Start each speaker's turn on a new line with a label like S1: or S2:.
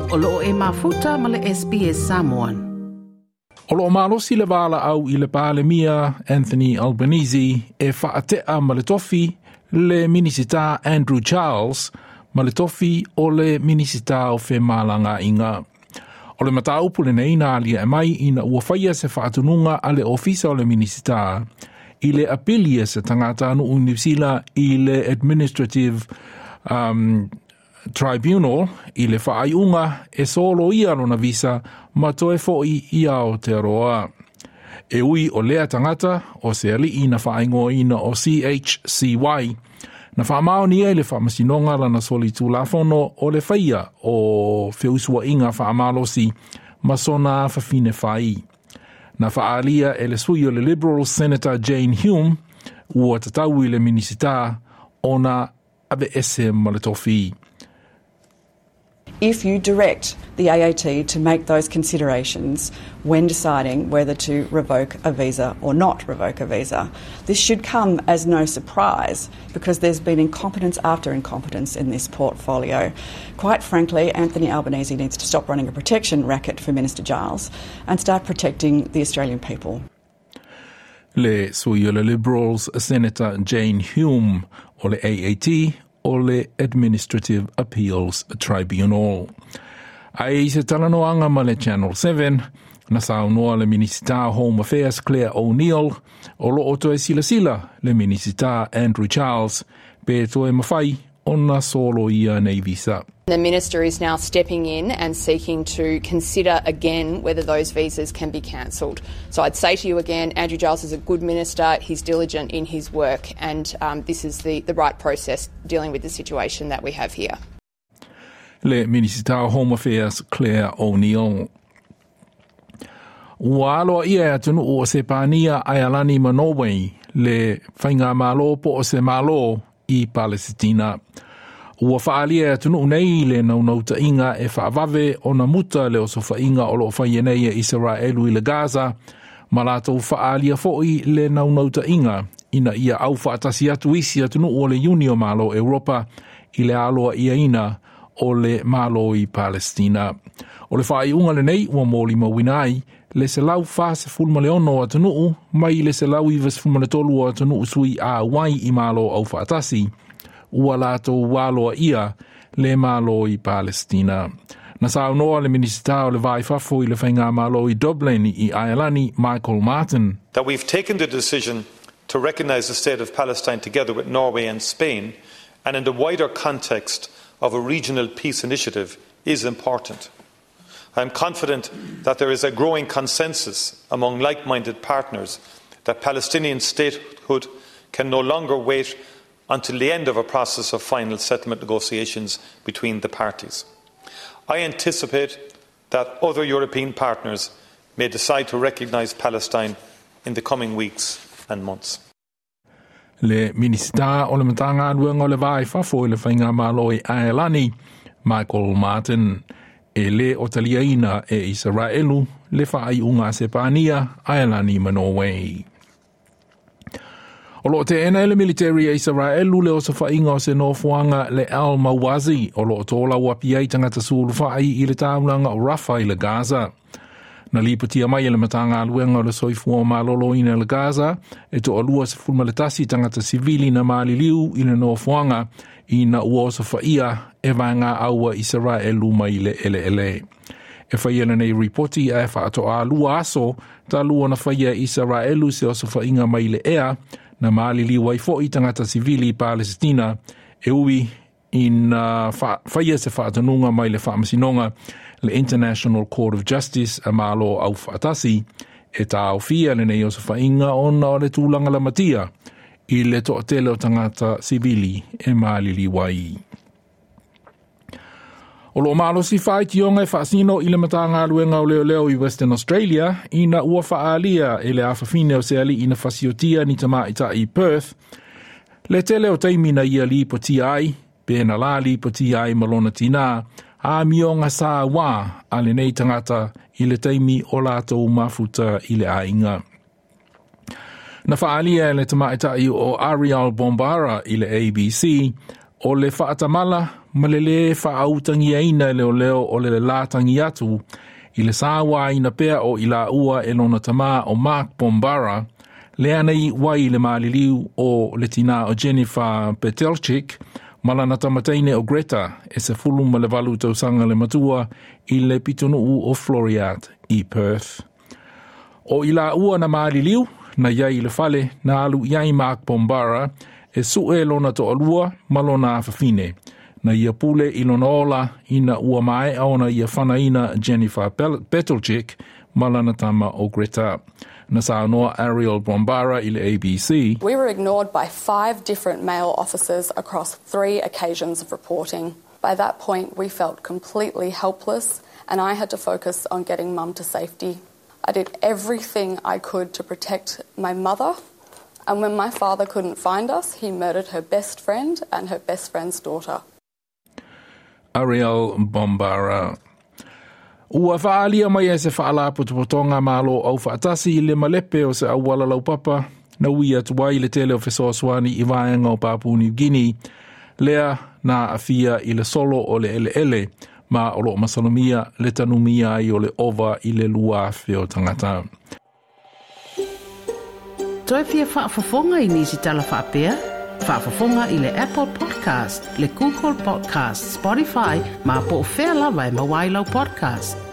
S1: O loo e mafuta ma le SBS Samoan.
S2: O loo malosi le valaau i le Palemia Anthony Albanese e faatea ma le tofi le Minisita Andrew Giles ma le tofi o le Minisita o Femalagaaiga. O le mataupu lenei na aliae mai ina ua faia se faatonuga a le Ofisa o le Minisita i le apili a se tagatanuu Niu Sila i le Administrative Tribunal i le faaiuga e soloia lona visa ma toe fo'i i Aotearoa. E ui o lea tagata o se alii na faaigoaina o CHCY, na faamaonia i le faamasinoga lana solitulafono o le faia o feusuaiga faamalosi ma sona afafine fai. Na faaalia e le sui o le Liberal Senator Jane Hume ua tatau i le Minisita ona aveese ma le tofi.
S3: If you direct the AAT to make those considerations when deciding whether to revoke a visa or not revoke a visa. This should come as no surprise because there's been incompetence after incompetence in this portfolio. Quite frankly, Anthony Albanese needs to stop running a protection racket for Minister Giles and start protecting the Australian people.
S2: Le sui o le Liberals Senator Jane Hume o le AAT o le Administrative Appeals Tribunal. Ae i se talanoaga ma le Channel 7, na saunoa le Minisita Home Affairs Clare O'Neil o loo toe silasila le Minisita Andrew Giles pe toe mafai ona soloia nei visa.
S4: The minister is now stepping in and seeking to consider again whether those visas can be cancelled. So I'd say to you again, Andrew Giles is a good minister, he's diligent in his work, and this is the right process dealing with the situation that we have here.
S2: Le Minisita Home Affairs Clare O'Neil. Ua aloaia e atunuu o Sepania, Aialani ma Norway le faigamalo po o se Malo i Palesitina. Ua faaalia e atunuu nei le naunautaiga e faavave ona muta le osofaiga o loo faia nei e Isaraelu i le Gaza, ma latou faaalia fo'i le naunautaiga ina ia aufaatasi atu isi atunuu o le Iuni o Malo Europa i le aloaiaina o le Malo i Palestina. O le faaiuga lenei ua molimauina ai le 146 o atunuu mai le 193 o atunuu sui auai i Malo Aufaatasi ua latou aloaia le Malo i Palestina. Na saunoa le Minisita o le Va i Fafo i le Faigamalo i Dublin i Aialani, Michael Martin.
S5: That we've taken the decision to recognise the state of Palestine together with Norway and Spain, and in the wider context of a regional peace initiative, is important. I am confident that there is a growing consensus among like-minded partners that Palestinian statehood can no longer wait until the end of a process of final settlement negotiations between the parties. I anticipate that other European partners may decide to recognise Palestine in the coming weeks and months.
S2: Le Minisita o le Matagaluega o le Va i Fafo i le Faigamalo i Aelani, Michael Martin, e lē o taliaina e Isaraelu le faaiuga a Sepania, Aelani ma Norway. O loo teena e le military e Isaraelu le osofaiga o se nofoaga le Al Mawasi o loo tolauapi ai tagata sulufai i le taulaga o Rafa i le Gaza. Na lipotia mai e le Matagaluega o le Soifua Maloloina i le Gaza e 21 tagata sivili na maliliu i le nofoaga ina ua osofaia e vaega aua Isaraelu mai le eleele. E faia lenei ripoti ae faatoa 2 aso talu ona faia e Isaraelu se osofaiga mai le ea na maliliu ai fo'i tagata sivili i Palesitina e ui ina faia se faatonuga mai le faamasinoga le International Court of Justice a Malo Aufaatasi e taofia lenei osofaiga ona o le tulaga lamatia i le toatele o tagata sivili e maliliu ai. O loo malosi faitioga e faasino i le Matagaluega o Leoleo i Western Australia ina ua faaalia e le afafine o se alii na fasiotia ni tamaita'i i Perth le tele o taimi na ia lipotia ai pe na la lipotia ai ma lona tinā amioga sa wā a lenei tagata i le taimi o latou mafuta i le aiga. Na faaalia e le tamaita'i o Ariel Bombara i le ABC o le faatamala ma le lē faautagiaina e leoleo o le lelā tagi atu i le sauāina pea o i laua e lona tamā o Mark Bombara, lea na iu ai le maliliu o le tinā o Jennifer Petelczyc ma lana tamataine o Greta e 18 tausaga le matua i le pitonuu o Floreat i Perth. O i laua na maliliu, na iai i le fale na alu i ai Mark Bombara e suʻe lona toalua ma lona afafine. Na ia pule i lona ola ina ua maea ona ia fanaina Jennifer Petelczyc ma lana tama o Greta. Na saunoa Ariel Bombara i le ABC.
S6: We were ignored by 5 different male officers across 3 occasions of reporting. By that point, we felt completely helpless and I had to focus on getting Mum to safety. I did everything I could to protect my mother, and when my father couldn't find us, he murdered her best friend and her best friend's daughter.
S2: Ariel Bombara. Ua faaalia mai e se faalapotopotoga Malo Aufaatasi i le malepe o se auala laupapa na ui atu ai le tele o fesoasoani i vaega o Papua New Guinea, lea na aafia i le solo o le eleele ma o loo masalomia le tanumia ai o le ova i le 2,000 o tagata.
S1: Toe fia faafofoga i nisi tala faapea? Faafofoga i le Apple Podcast, le Google Podcast, Spotify, ma po o fea lava e maua ai lau podcast.